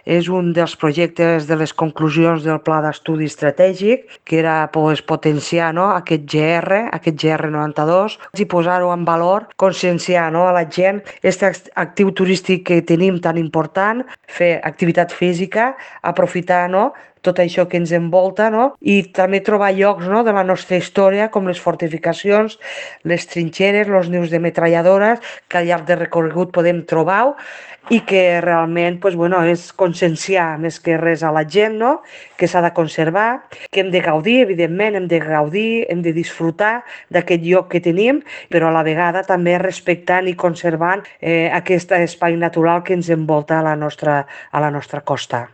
és un dels projectes de les conclusions del Pla d'Estudi Estratègic, que era potenciar, no, aquest GR92, i posar-ho en valor, conscienciar, no, a la gent aquest actiu turístic que tenim tan important, fer activitat física, aprofitar, no, tot això que ens envolta, no? I també trobar llocs, no, de la nostra història, com les fortificacions, les trinxeres, els nius de metralladores, que al llarg del recorregut podem trobar, i que realment és conscienciar més que res a la gent, no? Que s'ha de conservar, que hem de gaudir, evidentment, hem de gaudir, hem de disfrutar d'aquest lloc que tenim, però a la vegada també respectant i conservant aquest espai natural que ens envolta a la nostra costa.